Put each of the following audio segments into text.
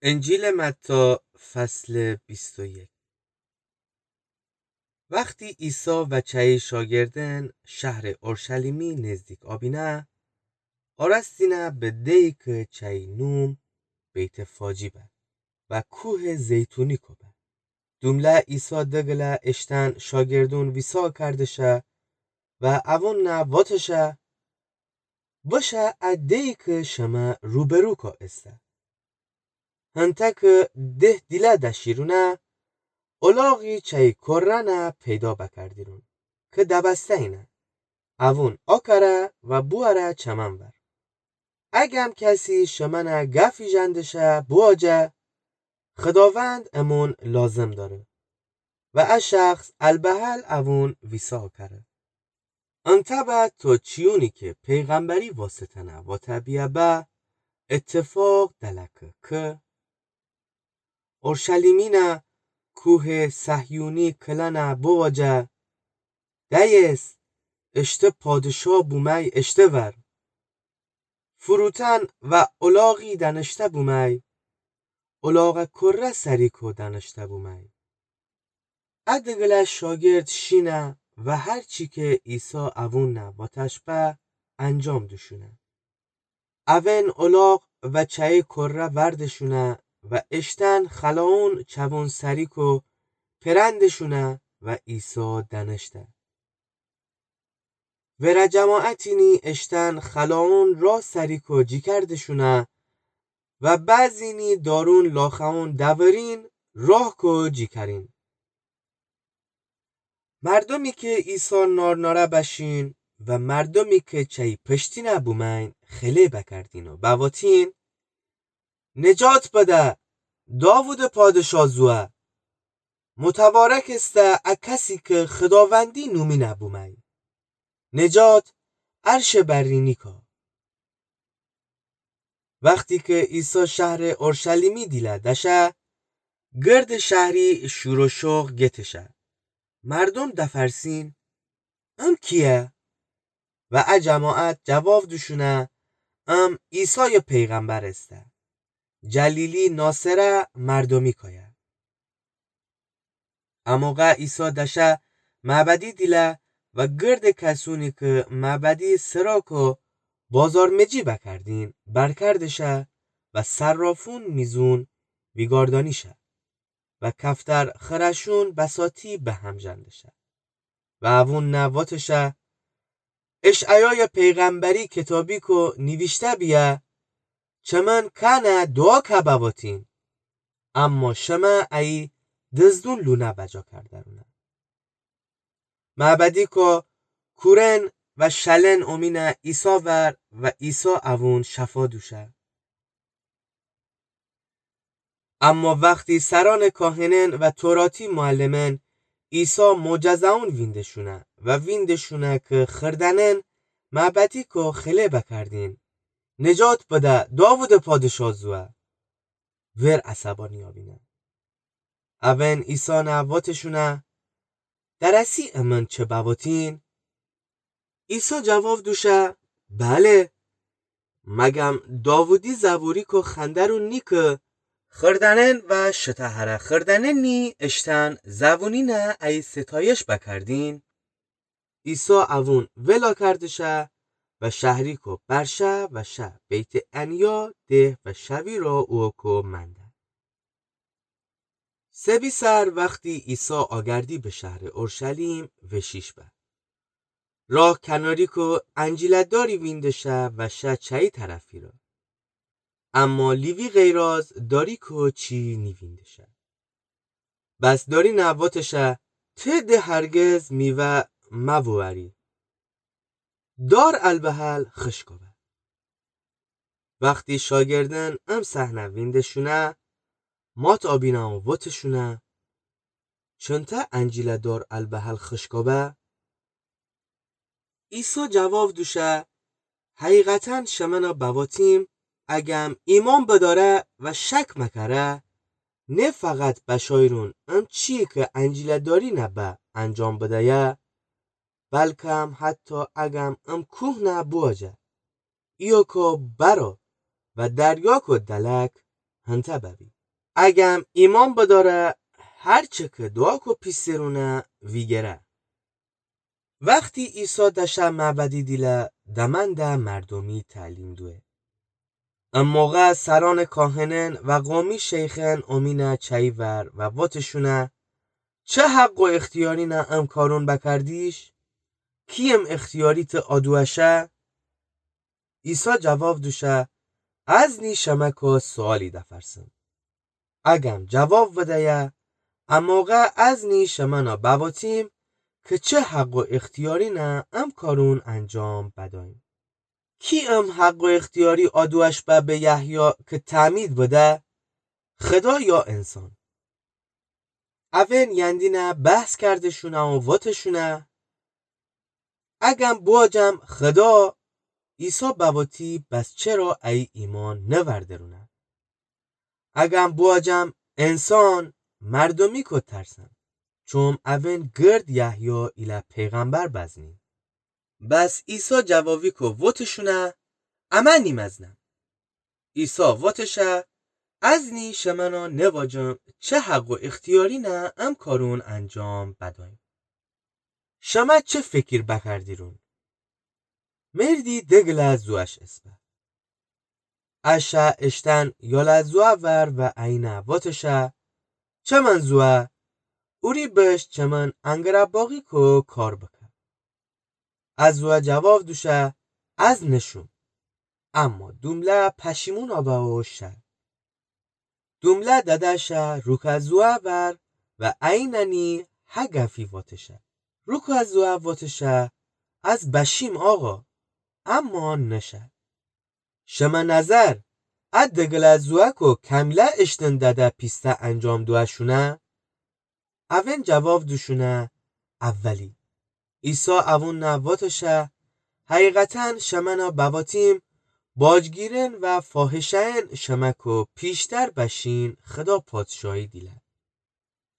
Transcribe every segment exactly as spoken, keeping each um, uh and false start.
انجیلٚ متی، فصلٚ بیست و یک. وختی عیسی و چأیی شاگردأن شهرٚ اورشلیمی نزدیک آبینه، آراستینه به دهی کی چأیی نوم بیت‌فاجی به و کوهٚ زیتونیکو به. دومله عیسی دگله اشتأن شاگردون ویسا کردشه و اوون نه وتشه: بشه ا دهی کی شمه روبروکو ایسه. هنته کی ده دیله دشیرونه، الاغی چأیی کره نه پیدا بکردیرون کی دبسته اینه. اوون آکره و بوأره چمن ور. اگم کسی شمنه گفی ژندشه، بواجه: خداوند امون لازم دأره و ا شخص البحل اوون ویسا کره. انتأ به تو چیونی کی پیغمبری واسطه‌نه واته بیه به اتفاق دلکه کی اورشلیمینه، کوهٚ صهیونی کلنه بواجه: دأیس، اشته پادشا بومی اشته ور. فروتن و الاغی دأنشته بومی، الاغٚ کره سریکو دأنشته بومی. ا دگله شاگرد شینه و هر چی کی عیسی اوون نه واتش به انجام دوشونه. اوئن الاغ و چأیی کره وردشونه و اشتأن خلاون چوون سریکو پرندشونه و عیسی دأنشته. ورأ جماعتینی اشتأن خلاون راه سریکو جیکردشونه و بعضینی دارون لاخوون دورین راهکو جیکرین. مردومی کی عیسی نارنأره بشین و مردومی کی چأیی پشتینه بومین خله بکردین و بواتین: نجات بده، داوودٚ پادشا زوه! متبارک ایسه ا کسی کی خداوندی نومینه بومی! نجات عرشٚ برینیکا! وختی کی عیسی شهرٚ اورشلیمی دیله دشه، گردٚ شهری شور و شوق گتشه. مردوم دفرسین: ام کییه؟ و ا جماعت جواب دوشونه: ام عیسایٚ پیغمبر ایسه. جلیلی ناصره مردومی کایه. اموقع عیسی دشه معبدی دیله و گردٚ کسونی کی معبدی سراکو بازارمجی بکردین برکردشه و صرافون میزون ویگاردانیشه و کفتر خرشون بساطی بهم ژندشه. و اوون نه واتشه: اشعیایٚ پیغمبری کتابیکو نیویشته بیه: چمن کأنه دوعا که بواتین، اما شمه ایی دزدون لونه بجا کردرونه. معبدیکو کورن و شلن اومینه عیسی ور و عیسی اوون شفا دوشه. اما وختی سرأنٚ کاهنأن و توراتی معلمأن عیسی معجزه‌ون ویندشونه و ویندشونه کی خردنأن معبدیکو خله بکردین: نجات بده، داوودٚ پادشا زوه! ور عصبانی آبینه. اوئن عیسی نه واتشونه: درأسی امن چه بواتین؟ عیسی جواب دوشه: بله، مگم داوودی زبوریکو خوأندرون نی کی خردنأن و شتهره خردنأنی اشتأن زوونینه ایی ستایش بکردین؟ عیسی اوون ولا کردشه و شهریکو برشه و شه بیت‌عنیا ده و شویرا اوکو منده. سبی سر وختی عیسی آگردی به شهرٚ اورشلیم وشیش به، راه کناریکو انجیله داری ویندشه و شه چأیی طرفی را. اما لیوی غیراز داریکو چی نیویندشه. بس داری نه واتشه: ته ده هرگز میوه مووری. دار البحل خشکو به. وختی شاگردأن ام صحنه ویندشونه، مات آبینه و واتشونه: چنته انجیله دار البحل خشکو به؟ عیسی جواب دوشه: حقیقتاً شمنه بواتیم، اگم ایمأن بدأره و شک مکره، نه فقط بشایرون ام چیی کی انجیله دارینه به انجام بدیه، بلکم حتی اگم ام کوه نه بوجه: ایوکو برو و دریاکو دلک، هنته ببی. اگم ایمأن بدأره، هر چه که دوعا کو پیسرونه ویگره. وختی عیسی دأشه معبدی دیله، دمأنده مردومی تعلیم دوه. ا موقع سرأنٚ کاهنأن و قومی شیخأن اومینه چأیی ور و وتشونه: چه حق و اختیارینه ام کارون بکردیش؟ کی ام اختیاری ته آ دوعا شه؟ عیسی جواب دوشه: از نی شمه کو سؤالی دفرسم. اگم جواب بدیه، ا موقع از نی شمنه بوتیم که چه حق و اختیارینه ام کارون انجام بدأییم. کی ام حق و اختیاری آ دوعا شه به یحیی که تعمید بده، خدا یا انسان؟ اون یندینه بحث کردشونه و وتشونه: اگم بوجم خدا، عیسی بوتی، بس چره ای ایمأن نوردرونه؟ اگم بوجم انسان، مردومی کو ترسن، چوم اون گرد یحیی ایله پیغمبر بزنین. بس عیسی جوابی کو وتشونه: امه نیمزنم. عیسی وتشه: از نی شمنه نواجم چه حق و اختیارینه ام کارون انجام بدأییم. شمه چه فکر بکردیرون؟ مردی دگله زوعش اسپه. ا شه اشتن یاله زوعه ور و اینه وتشه: چمن زوعه، اوری بش چمن انگره باغی کو کار بکه. ا زوعه جواب دوشه: از نشوم. اما دومله پشیمون آبه و شه. دومله دده شه روکه زوعه ور و اینه نی هه گفی وتشه. روکه زوعه وتشه: از بشیم آقا، اما نشه. شمه نظر ا دگله زوعه کو کمله اشتن دده پیسته انجام دوعه شونه؟ اون جواب دوشونه: اولی. عیسی اونٚ نه وتشه: حقیقتاً شمنه بوتیم، باجگیرأن و فاحشه‌أن شمه کو پیشتر بشین خدا پادشاهی دیله.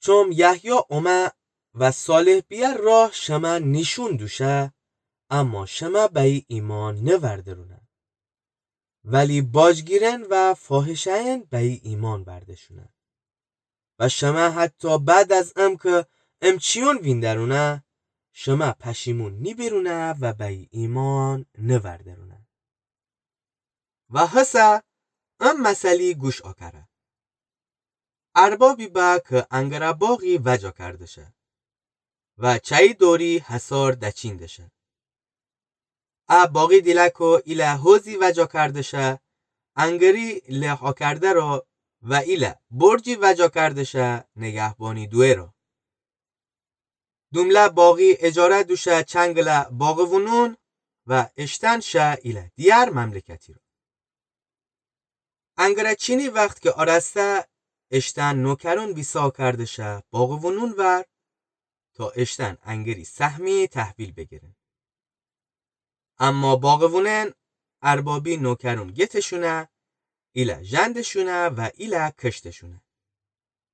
چوم یحیی اومه و صالح بیه راه شمه نیشون دوشه، اما شمه به ای ایمأن نوردرونه. ولی باجگیرأن و فاحشه‌أن به ای ایمأن وردشونه. و شمه حتی بعد از ام که ام چیون ویندرونه، شمه پشیمون نیبیرونه و به ای ایمأن نوردرونه. و هسه ام مثلی گوش آکره. اربابی به که انگره باغی وجا کرده شه و چأیی دوری حصار دچین دشه. ا باغی دیله کو ایله حوضی وجا کرده شه، انگری له آکرده ره و ایله برجی وجا کرده شه نگهبانی دوئه ره. دومله باغی اجاره دوشه چنگله باغوونون و اشتن شه ایله دیگر مملکتی ره. انگره چینی وخت که آراسته، اشتن نوکرون ویسا کرده شه باغوونون ور تا اشتن انگری سهمی تحویل بیگیرن. اما باغوونن اربابی نوکرون گتشونه، ایله ژندشونه و ایله کشتشونه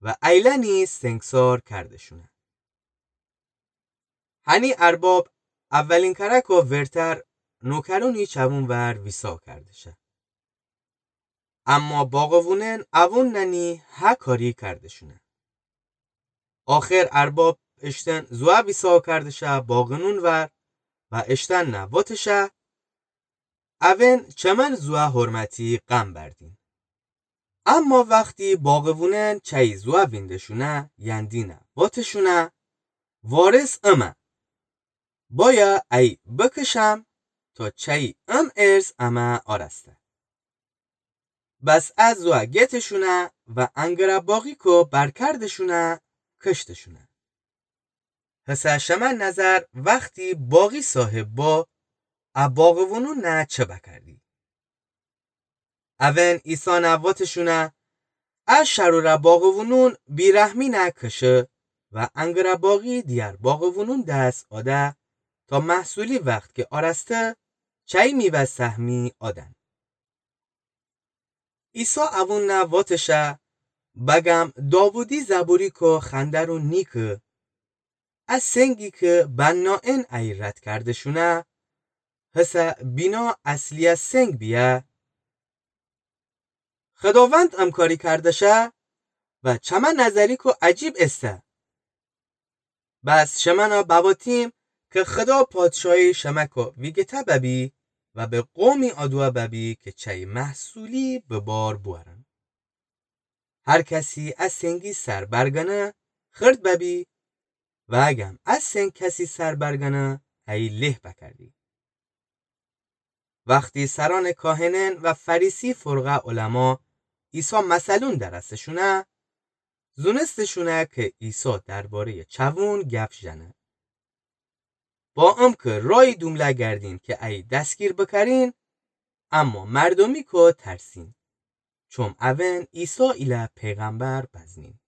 و ایله نی سنگسار کردشونه. هنی ارباب اولین کرکو ورتر نوکرونی چوون ور ویسا کرده شه. اما باغوونن اوون ننی هه کاری کردشونه. آخر ارباب اشتن زوه ویسا کرده شه باغوونون ور و اشتن نه وتشه، اوون چمن زوه حرمتی قم بردین. اما وختی باغوونن چأیی زوه ویندشونه، یندینه وتشونه، وارث امه. بایا ای بکشم تا چأیی ام ارث امه آراسته. بس ا زوه گتشونه و انگره باغی کو برکردشونه، کشتشونه. هسه شمه نظر وختی باغی صاحب با، ا باغوونون نه چه بکردی؟ اوون عیسی نه وتشونه، ا شروره باغوونون بیرحمی نه کشه و انگره باغی دیگر باغوونون دس آده تا محصولی وخت که آراسته چأیی میوه سهمی آدن. عیسی اوون نه وتشه، بگم داوودی زبوری کو خوأندرون نیکه، ا سنگی که بنائن ای رد کردشونه، هسه بینا اصلیه سنگ بیه. خداوند امکاری کردشه و چمه نظریکو عجیب ایسه. بس شمنه بواتیم که خدا پادشاهی شمکو ویگیته ببی و به قومی آدوه ببی که چی محصولی به بار بوأرن. هر کسی ا سنگی سر برگنه خرد ببی و اگم ا سنگ کسی سر برگنه ای له بکردی. وختی سرأنٚ کاهنأن و فریسی فرقه علما عیسی مثلون درسه‌شونه، زونسته‌شونه که عیسی درباره‌یٚ چوون گپ ژنه. با امکه رایی دومله گردین که ای دسگیر بکرین، اما مردومیکو ترسین، چوم اون عیسی ایله پیغمبر بزنین.